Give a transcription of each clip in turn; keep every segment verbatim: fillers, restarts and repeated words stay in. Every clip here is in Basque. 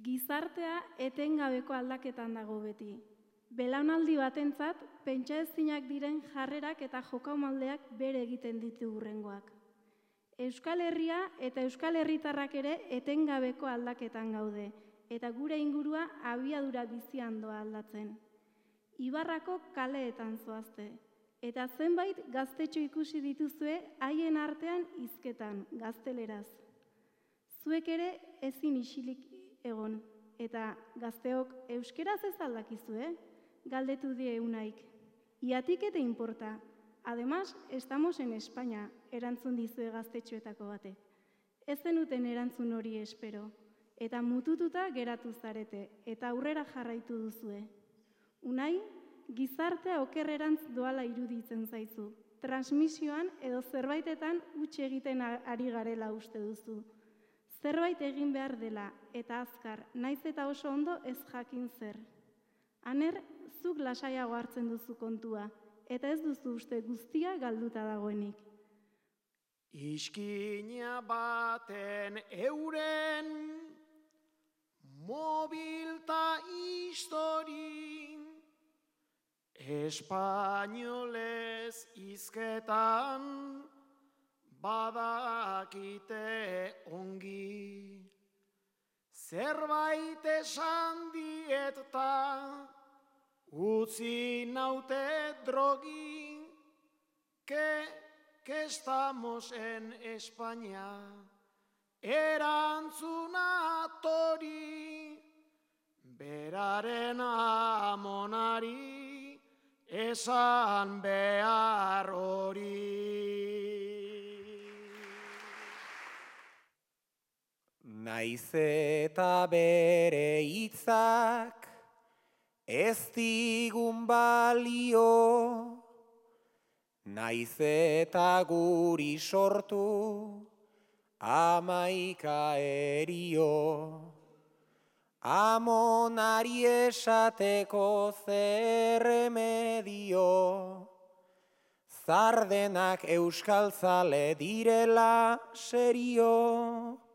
Gizartea etengabeko aldaketan dago beti. Belaunaldi batentzat, pentsa ezinak diren jarrerak eta jokaumaldeak bere egiten ditu hurrengoak. Euskal Herria eta Euskal Herritarrak ere etengabeko aldaketan gaude, eta gure ingurua abiadura bizian doa aldatzen. Ibarrako kaleetan zoazte, eta zenbait gaztetxo ikusi dituzue haien artean hizketan, gazteleraz. Zuek ere ezin isilik egon, eta gazteok euskeraz ez aldakizue, galdetu die Unaik. ¿Y a ti qué te importa? Además, estamos en España, erantzun dizue gaztetxoetako batek. Ez zenuten erantzun hori espero, eta mutututa geratu zarete, eta aurrera jarraitu duzue. Unai, gizartea okerrerantz doala iruditzen zaizu. Transmisioan edo zerbaitetan huts egiten ari garela uste duzu. Zerbait egin behar dela, eta azkar, naiz eta oso ondo ez jakin zer. Aner, zuk lasaiago hartzen duzu kontua, eta ez duzu uste guztia galduta dagoenik. Iskina baten euren, mobilta histori, espainolez hizketan, badakite ongi. Zerbait esan dieta, utzi naute drogi, que, que estamos en España, erantzuna tori, beraren amonari, esan behar hori. Naiz eta bere hitzak ez digun balio, naiz eta guri sortu amaika erio, amonari esateko zer remedio, zardenak euskaltzale direla serio,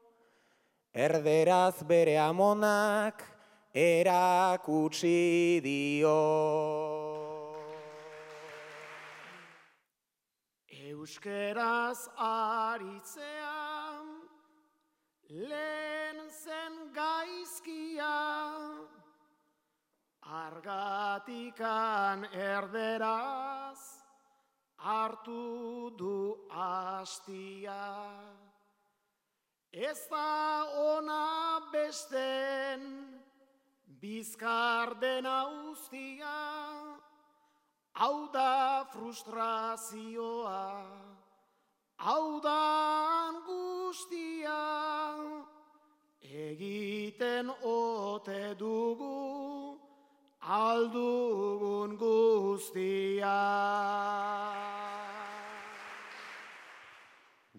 erderaz bere amonak erakutsi dio. Euskeraz aritzean, lehen zen gaizkia, argatikan erderaz hartu du hastia. Ez da ona besten bizkar dena uztia, hau da frustrazioa, hau da angustia, egiten ote dugu aldugun guztia.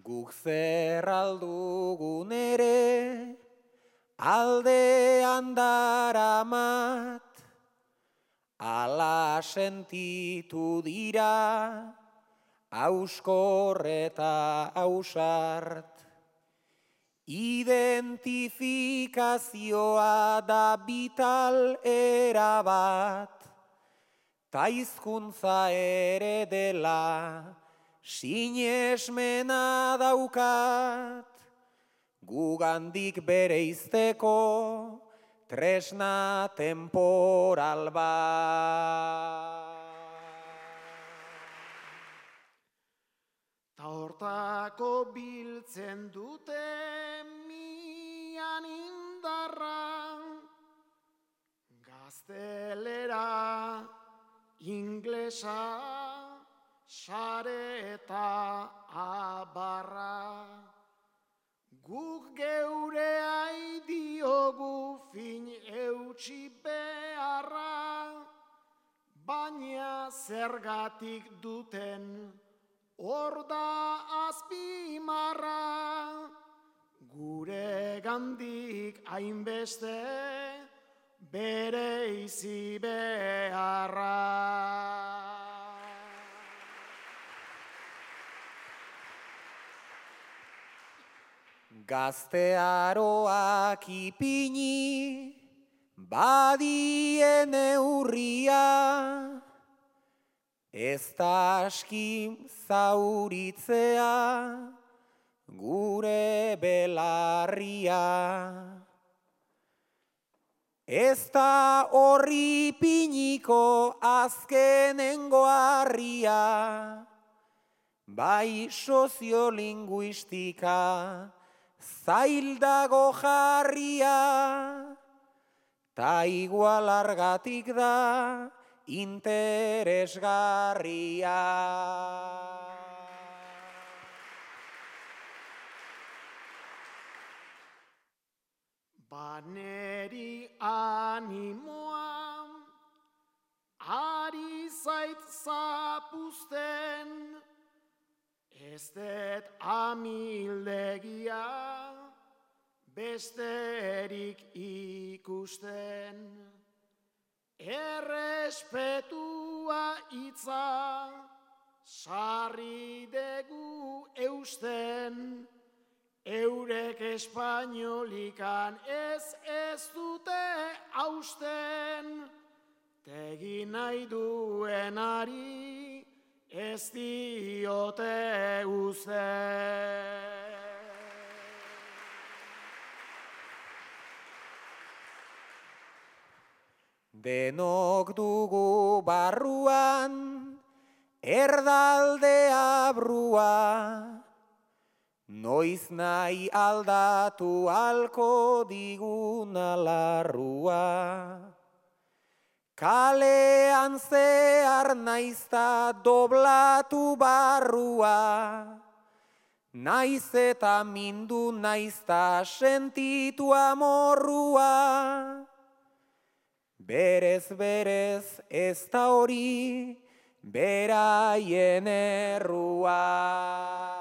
Guk zer aldugun ere, aldean daramat, ala sentitu dira, auskor eta ausart. Identifikazioa da vital erabat, ta hizkuntza ere dela, sinesmena daukat, gugandik bereizteko tresna temporal bat. Ta hortako biltzen dute mian indarra, gaztelera, inglesa, sare eta abarra. Guk geureai diogu fin eutsi beharra, baina zergatik duten hor da azpimarra, gure gandik hainbeste bereizi beharra. Gaztearoak ipini, badien eurria, ez da aski zauritzea, gure belarria. Ez da horri piniko azkenengo harria, bai soziolinguistika zail dago jarria, ta igual argatik da interesgarria. Baneri animoa, ari zait zapuzten, ez dut amildegia, besterik ikusten. Errespetua hitza, sarri degu eusten, eurek espainolikan ez ez dute hausten, tegi nahi duenari ez diote uzten. Denok dugu barruan erdaldea brua, noiz nahi aldatu alko diguna larrua. Kalean zehar naizta doblatu barrua, naiz eta mindu naizta sentitu amorrua. Berez berez ez da hori beraien errua.